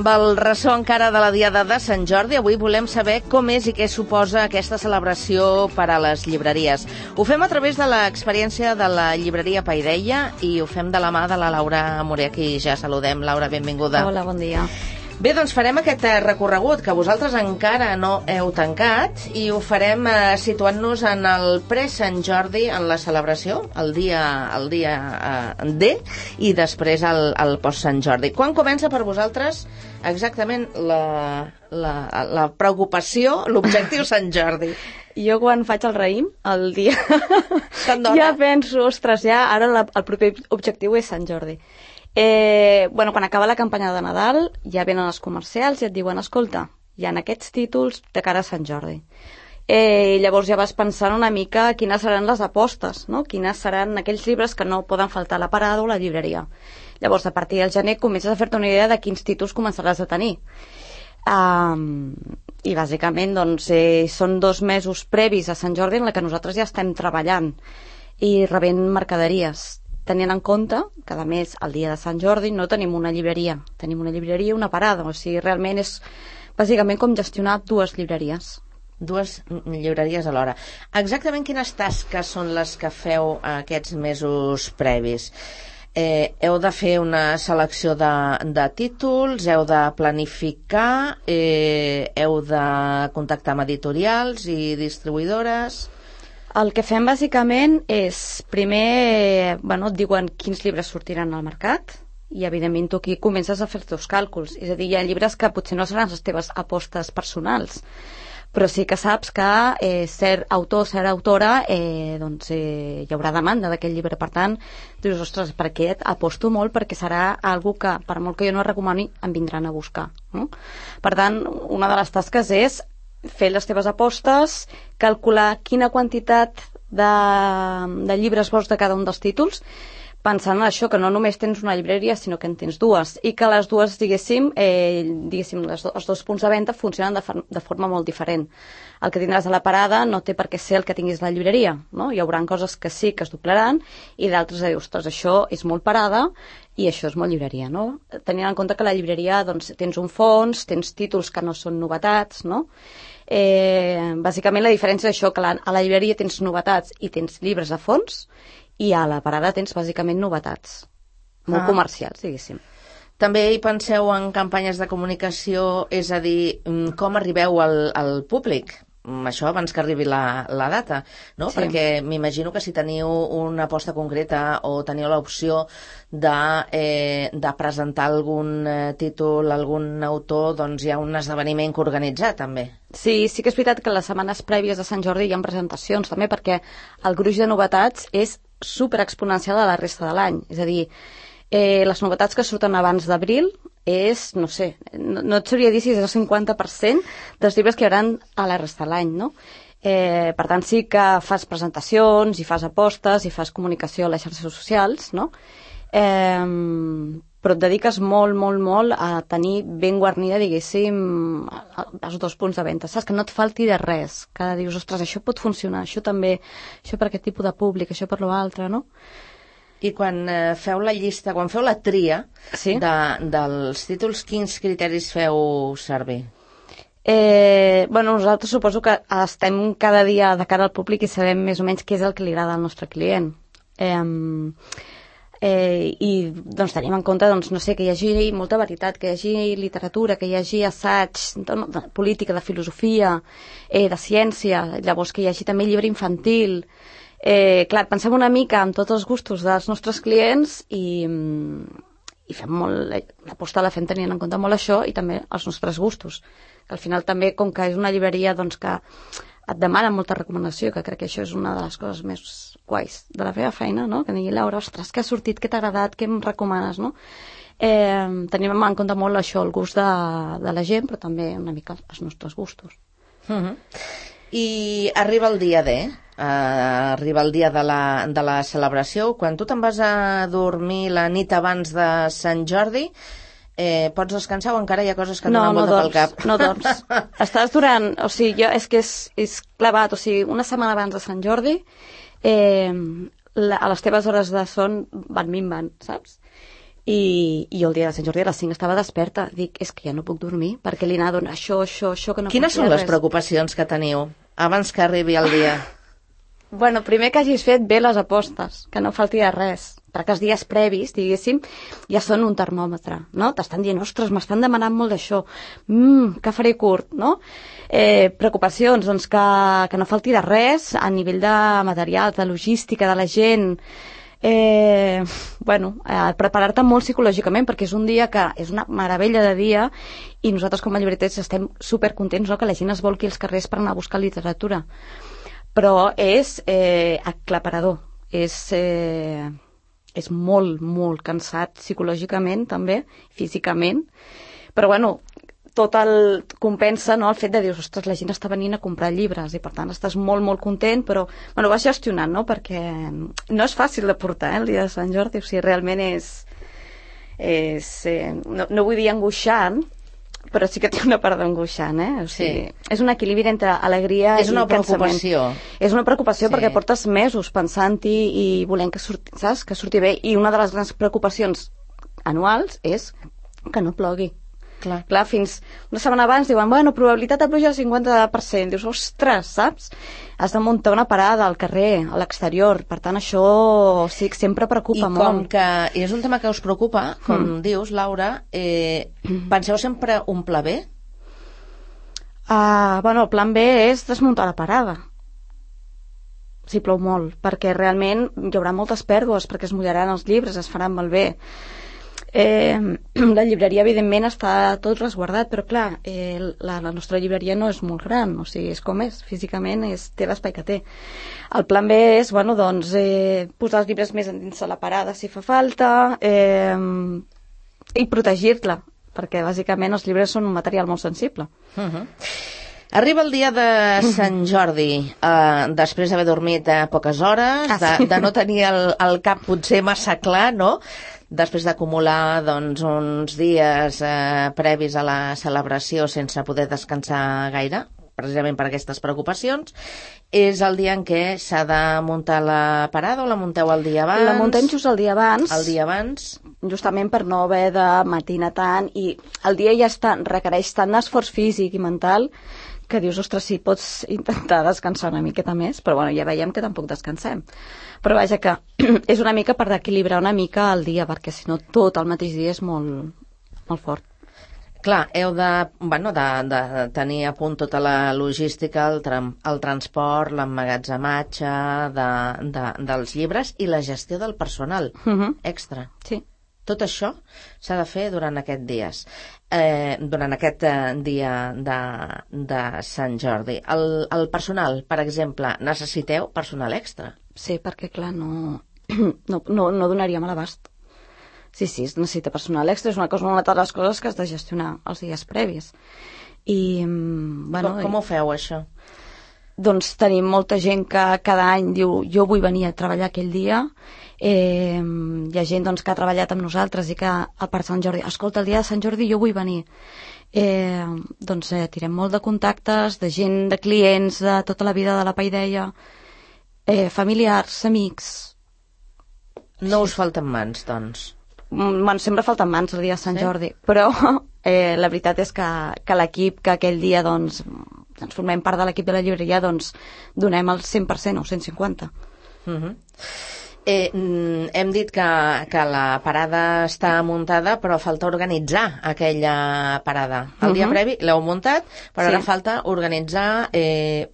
Amb el ressò encara de la Diada de Sant Jordi, avui volem saber com és i què suposa aquesta celebració per a les llibreries. Ho fem a través de l'experiència de la llibreria Paideia i ho fem de la mà de la Laura Morer, qui ja saludem. Laura, benvinguda. Hola, bon dia. Bé, doncs farem aquest recorregut que vosaltres encara no heu tancat i ho farem situant-nos en el pre-Sant Jordi, en la celebració, el dia D, i després el post-Sant Jordi. Quan comença per vosaltres exactament la preocupació, l'objectiu Sant Jordi? Jo quan faig el raïm, el dia, ja penso, ostres, ja ara el proper objectiu és Sant Jordi. Quan acaba la campanya de Nadal ja venen els comercials i et diuen escolta, hi ha aquests títols de cara a Sant Jordi. Llavors ja vas pensant una mica quines seran les apostes, no? Quines seran aquells llibres que no poden faltar a la parada o a la llibreria. Llavors a partir del gener comences a fer-te una idea de quins títols començaràs a tenir. I bàsicament doncs, són 2 mesos previs a Sant Jordi en què nosaltres ja estem treballant i rebent mercaderies, tenint en compte que, a més, el dia de Sant Jordi no tenim una llibreria. Tenim una llibreria i una parada. O sigui, realment és bàsicament com gestionar 2 llibreries. 2 llibreries alhora. Exactament quines tasques són les que feu aquests mesos previs? Heu de fer una selecció de títols, heu de planificar, heu de contactar amb editorials i distribuïdores. El que fem bàsicament és, primer, et diuen quins llibres sortiran al mercat i evidentment tu aquí comences a fer els teus càlculs. És a dir, hi ha llibres que potser no seran les teves apostes personals, però sí que saps que ser autor, ser autora, hi haurà demanda d'aquest llibre. Per tant, dius, ostres, per aquest aposto molt perquè serà algo que, per molt que jo no recomani, em vindran a buscar. No? Per tant, una de les tasques és fer les teves apostes, calcular quina quantitat de llibres vols de cada un dels títols, pensant en això, que no només tens una llibreria, sinó que en tens 2, i que les dues, els 2 punts de venda funcionen de forma molt diferent. El que tindràs a la parada no té per què ser el que tinguis a la llibreria, no? Hi haurà coses que sí que es doblaran i d'altres de dir, ostres, això és molt parada i això és molt llibreria, no? Tenint en compte que a la llibreria tens un fons, tens títols que no són novetats, no? Bàsicament la diferència és això, que a la llibreria tens novetats i tens llibres a fons i a la parada tens bàsicament novetats molt comercials, diguéssim. També hi penseu en campanyes de comunicació, és a dir, com arribeu al públic? Això abans que arribi la data, no? Sí. Perquè m'imagino que si teniu una aposta concreta o teniu l'opció de presentar algun títol, algun autor, doncs hi ha un esdeveniment que organitzar també. Sí que és veritat que les setmanes prèvies de Sant Jordi hi ha presentacions també, perquè el gruix de novetats és superexponencial a la resta de l'any. És a dir, les novetats que surten abans d'abril és, no sé, no et sabria dir si és el 50% dels llibres que hi haurà a la resta de l'any, no? Per tant, sí que fas presentacions i fas apostes i fas comunicació a les xarxes socials, no? Però et dediques molt a tenir ben guarnida, diguéssim, els 2 punts de venda. Saps? Que no et falti de res, que dius, ostres, això pot funcionar, això també, això per aquest tipus de públic, això per l'altre, no? I quan feu la llista, quan feu la tria dels títols, quins criteris feu servir? Nosaltres suposo que estem cada dia de cara al públic i sabem més o menys què és el que li agrada al nostre client. I doncs tenim en compte, no sé, que hi hagi molta varietat, que hi hagi literatura, que hi hagi assaig, de política, de filosofia, de ciència, llavors que hi hagi també llibre infantil. Clar, pensem una mica en tots els gustos dels nostres clients i fem molt, l'aposta la fem tenint en compte molt això i també els nostres gustos, que al final també, com que és una llibreria que et demana molta recomanació, que crec que això és una de les coses més guais de la meva feina, no? Que digui, Laura, ostres, què ha sortit, què t'ha agradat, què em recomanes, no? Tenim en compte molt això, el gust de la gent, però també una mica els nostres gustos. I arriba el dia D, arriba el dia de la celebració. Quan tu te'n vas a dormir la nit abans de Sant Jordi, pots descansar o encara hi ha coses que et donen volta pel cap? No dorms. Estàs durant... O sigui, és que és clavat. O sigui, una setmana abans de Sant Jordi, a les teves hores de son van minvant, saps? i jo el dia de Sant Jordi a les 5 estava desperta. Dic, és que ja no puc dormir, perquè li anava donant això, que no Quines són les preocupacions que teniu abans que arribi el dia? Bueno, primer que hagis fet bé les apostes, que no falti de res, perquè els dies previs, diguéssim, ja són un termòmetre, no? T'estan dient, ostres, m'estan demanant molt d'això, que faré curt, no? Preocupacions, doncs, que no falti de res a nivell de material, de logística, de la gent, preparar-te molt psicològicament, perquè és un dia que és una meravella de dia i nosaltres com a llibreters estem supercontents, no?, que la gent es volqui als carrers per anar a buscar literatura. Però és aclaparador, és molt, molt cansat psicològicament també, físicament, però bueno, tot el compensa, no?, el fet de dir, ostres, la gent està venint a comprar llibres i per tant estàs molt, molt content, però bueno, vas gestionant, no?, perquè no és fàcil de portar, el dia de Sant Jordi, o sigui, realment no vull dir angoixant, però sí que té una part d'angoixant, o sigui, és un equilibri entre alegria i preocupació. És una preocupació perquè portes mesos pensant-hi i volent que surti bé, i una de les grans preocupacions anuals és que no plogui. Clar, fins una setmana abans diuen, bueno, probabilitat de pluja del 50%. Dius, ostres, saps? Has de muntar una parada al carrer, a l'exterior. Per tant, això sí que sempre preocupa molt. I com que és un tema que us preocupa, com dius, Laura, penseu sempre un pla B? Bueno, el plan B és desmuntar la parada. Si plou molt, perquè realment hi haurà moltes pèrdues, perquè es mullaran els llibres, es faran malbé. La llibreria evidentment està tot resguardat, però clar, la nostra llibreria no és molt gran, o sigui, és com és, físicament té l'espai que té. El plan B és, bueno, doncs, posar els llibres més endins de la parada si fa falta, i protegir-la, perquè bàsicament els llibres són un material molt sensible. Arriba el dia de Sant Jordi, després d'haver dormit poques hores, de no tenir el cap potser massa clar, no?, després d'acumular doncs, uns dies previs a la celebració sense poder descansar gaire, precisament per aquestes preocupacions, és el dia en què s'ha de muntar la parada o la munteu el dia abans? La muntem just el dia abans. El dia abans. Justament per no haver de matinar tant, i el dia ja requereix tant esforç físic i mental que dius, ostres, sí, pots intentar descansar una miqueta més, però bueno, ja veiem que tampoc descansem. Però vaja que és una mica per equilibrar una mica el dia, perquè si no tot el mateix dia és molt, molt fort. Clar, heu de tenir a punt tota la logística, el transport, l'emmagatzematge dels llibres i la gestió del personal extra. Sí. Tot això s'ha de fer durant aquests dies, durant aquest dia de Sant Jordi. El personal, per exemple, necessiteu personal extra? Sí, perquè clar, no donaríem a l'abast. Sí, es necessita personal extra, és una de les coses que has de gestionar els dies previs. Com ho feu, això? Doncs tenim molta gent que cada any diu, jo vull venir a treballar aquell dia. Hi ha gent doncs, que ha treballat amb nosaltres i que per Sant Jordi, escolta, el dia de Sant Jordi jo vull venir. Tirem molt de contactes, de gent, de clients, de tota la vida de la Paideia, familiars, amics. No us falten mans, doncs? Bueno, sempre falten mans el dia de Sant Jordi, però la veritat és que l'equip que aquell dia doncs formem part de l'equip de la llibreria, doncs donem el 100% o 150%. Hem dit que la parada està muntada, però falta organitzar aquella parada. El dia previ l'heu muntat, però ara falta organitzar,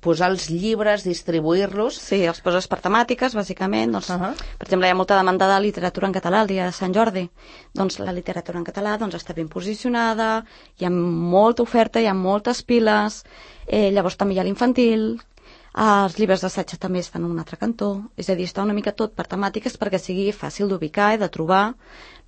posar els llibres, distribuir-los. Sí, els poses per temàtiques, bàsicament. Doncs, per exemple, hi ha molta demanda de literatura en català el dia de Sant Jordi. Doncs la literatura en català està ben posicionada, hi ha molta oferta, hi ha moltes piles, llavors també hi ha l'infantil. Els llibres d'assaig també estan en un altre cantó, és a dir, està una mica tot per temàtiques perquè sigui fàcil d'ubicar i de trobar,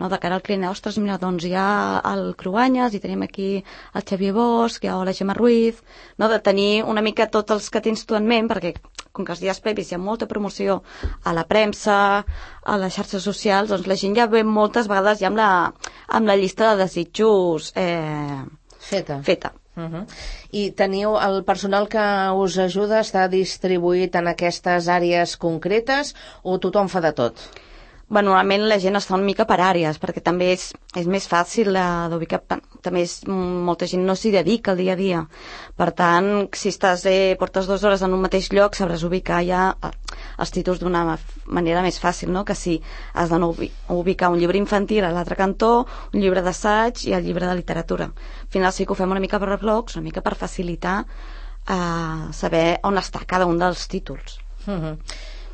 no? De cara al client, ostres, mira, doncs hi ha el Cruanyes i tenim aquí el Xavier Bosch, hi ha la Gemma Ruiz, no? De tenir una mica tots els que tens tu en ment, perquè com que els dies previs hi ha molta promoció a la premsa, a les xarxes socials, doncs la gent ja ve moltes vegades ja amb la llista de desitjos feta. I teniu el personal que us ajuda, està distribuït en aquestes àrees concretes o tothom fa de tot? Normalment la gent està una mica per àrees, perquè també és més fàcil d'ubicar, també molta gent no s'hi dedica al dia a dia. Per tant, si portes 2 hores en un mateix lloc, sabràs ubicar ja els títols d'una manera més fàcil, no? Que si has de ubicar un llibre infantil a l'altre cantó, un llibre d'assaig i el llibre de literatura. Al final sí que ho fem una mica per blocs, una mica per facilitar saber on està cada un dels títols.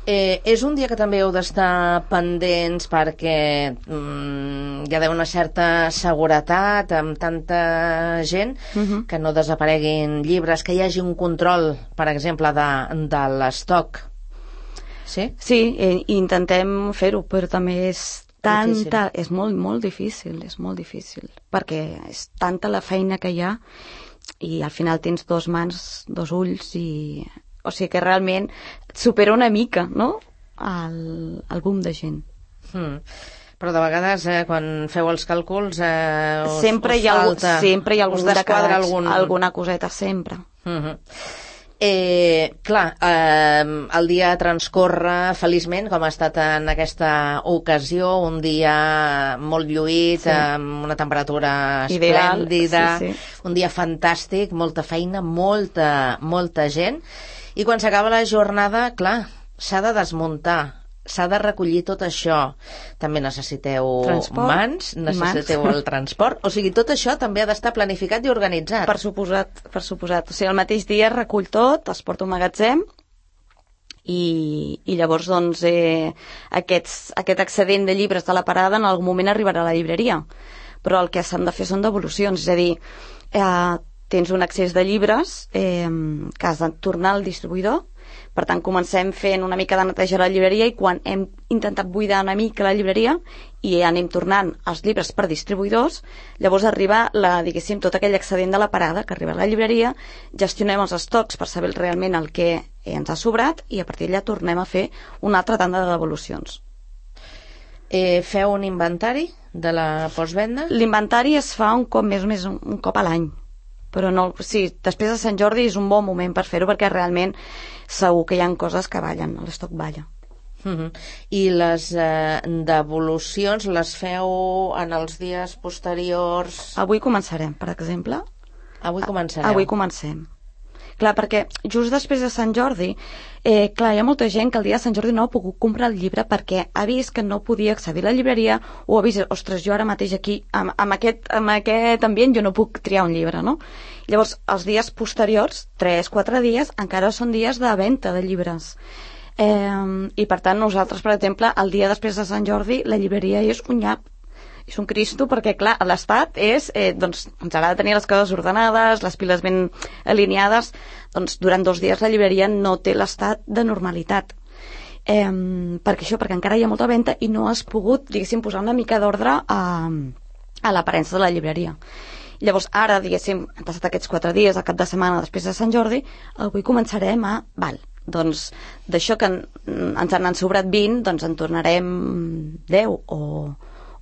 És un dia que també heu d'estar pendents perquè hi ha d'haver una certa seguretat amb tanta gent, que no desapareguin llibres, que hi hagi un control, per exemple, de l'estoc. Sí? Sí, intentem fer-ho, però també és molt, molt difícil, perquè és tanta la feina que hi ha i al final tens 2 mans, 2 ulls o sigui que realment supera una mica, no?, el boom de gent. Però de vegades, quan feu els càlculs, sempre hi ha algun desquadra alguna coseta, sempre. Clar, el dia transcorre feliçment, com ha estat en aquesta ocasió, un dia molt lluït, amb una temperatura esplèndida, un dia fantàstic, molta feina, molta gent, i quan s'acaba la jornada, clar, s'ha de desmuntar, s'ha de recollir tot això. També necessiteu mans, necessiteu el transport, o sigui, tot això també ha d'estar planificat i organitzat. Per suposat. O sigui, el mateix dia es recull tot, es porta un magatzem i llavors doncs aquest excedent de llibres de la parada en algun moment arribarà a la llibreria, però el que s'han de fer són devolucions, és a dir, tens un excés de llibres que has de tornar al distribuïdor. Per tant, comencem fent una mica de neteja a la llibreria i quan hem intentat buidar una mica la llibreria i anem tornant els llibres per distribuïdors, llavors arriba diguéssim, tot aquell excedent de la parada que arriba a la llibreria, gestionem els estocs per saber realment el que ens ha sobrat i a partir d'allà tornem a fer una altra tanda de devolucions. Feu un inventari de la postvenda? L'inventari es fa un cop a l'any. Però no, sí, després de Sant Jordi és un bon moment per fer-ho perquè realment segur que hi ha coses que ballen, l'estoc balla. I les devolucions les feu en els dies posteriors? Avui començarem, per exemple. Avui començareu? Avui comencem. Clar, perquè just després de Sant Jordi, hi ha molta gent que el dia de Sant Jordi no ha pogut comprar el llibre perquè ha vist que no podia accedir a la llibreria o ha vist, ostres, jo ara mateix aquí, amb aquest ambient jo no puc triar un llibre, no? Llavors, els dies posteriors, 3-4 dies, encara són dies de venda de llibres. I per tant, nosaltres, per exemple, el dia després de Sant Jordi, la llibreria és un nyap. És un cristo perquè, clar, l'estat és, doncs, ens agrada tenir les coses ordenades, les piles ben alineades, doncs durant 2 dies la llibreria no té l'estat de normalitat. Perquè encara hi ha molta venda i no has pogut, diguéssim, posar una mica d'ordre a l'aparença de la llibreria. Llavors, ara, diguéssim, han passat aquests 4 dies, al cap de setmana després de Sant Jordi, avui començarem doncs, d'això que ens han sobrat 20, doncs en tornarem 10 o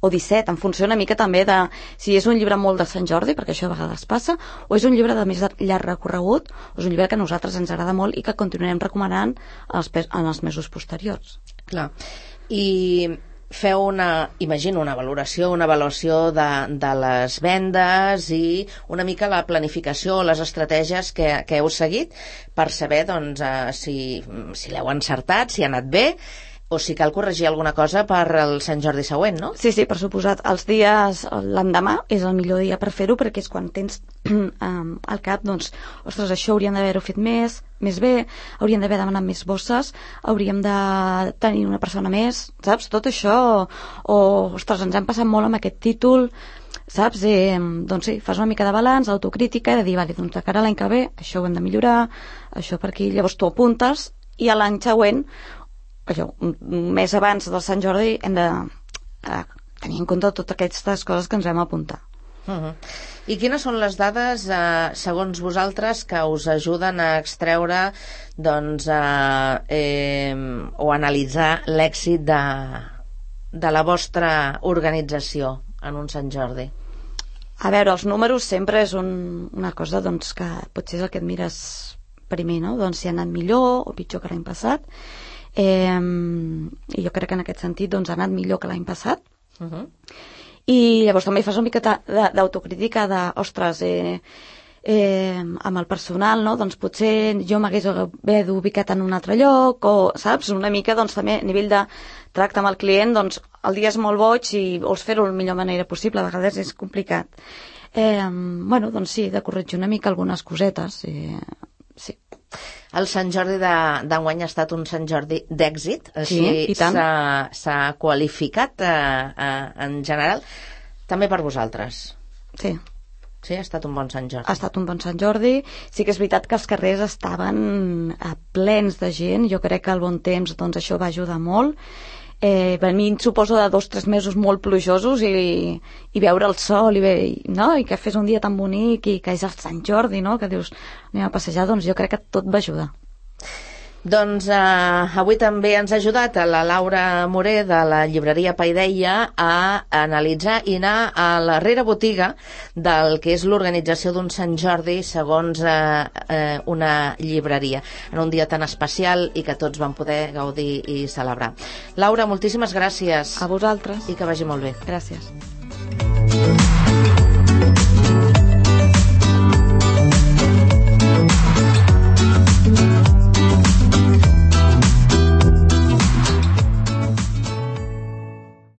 17, en funció una mica també de si és un llibre molt de Sant Jordi, perquè això a vegades passa, o és un llibre de més llarg recorregut, o és un llibre que a nosaltres ens agrada molt i que continuarem recomanant en els mesos posteriors. Clar. I feu imagino, una avaluació de les vendes i una mica la planificació, les estratègies que heu seguit per saber doncs, si l'heu encertat, si ha anat bé, o si cal corregir alguna cosa per al Sant Jordi següent, no? Sí, per suposat. Els dies, l'endemà és el millor dia per fer-ho perquè és quan tens al cap, doncs, ostres, això hauríem d'haver-ho fet més bé, hauríem d'haver demanat més bosses, hauríem de tenir una persona més, saps? Tot això, ostres, ens hem passat molt amb aquest títol, saps? Doncs sí, fas una mica de balanç, autocrítica, de dir, vale, doncs de cara a l'any que ve, això ho hem de millorar, això per aquí, llavors tu apuntes i a l'any següent un mes abans del Sant Jordi hem de tenir en compte totes aquestes coses que ens vam apuntar. I quines són les dades, segons vosaltres, que us ajuden a extreure doncs, o analitzar l'èxit de la vostra organització en un Sant Jordi? A veure, els números sempre és una cosa doncs, que potser és el que et mires primer, no? Doncs si ha anat millor o pitjor que l'any passat. i jo crec que en aquest sentit doncs, ha anat millor que l'any passat. I llavors també fas una miqueta d'autocrítica de, ostres, amb el personal, no? Doncs potser jo m'hagués haver ubicat en un altre lloc, o, saps? Una mica, doncs, també a nivell de tracte amb el client, doncs, el dia és molt boig i vols fer-ho de la millor manera possible, a vegades és complicat. Bueno, doncs sí, de corregir una mica algunes cosetes, sí. El Sant Jordi d'enguany ha estat un Sant Jordi d'èxit, així s'ha qualificat en general, també per vosaltres. Sí. Sí, ha estat un bon Sant Jordi. Ha estat un bon Sant Jordi. Sí que és veritat que els carrers estaven plens de gent. Jo crec que el bon temps, doncs, això va ajudar molt. Venint, suposo, de 2 o 3 mesos molt plujosos i veure el sol no? I que fes un dia tan bonic i que és el Sant Jordi, no? Que dius, anem a passejar, doncs jo crec que tot va ajudar. Doncs avui també ens ha ajudat a la Laura Moré de la llibreria Paideia a analitzar i anar a la rerebotiga del que és l'organització d'un Sant Jordi segons una llibreria, en un dia tan especial i que tots vam poder gaudir i celebrar. Laura, moltíssimes gràcies. A vosaltres. I que vagi molt bé. Gràcies.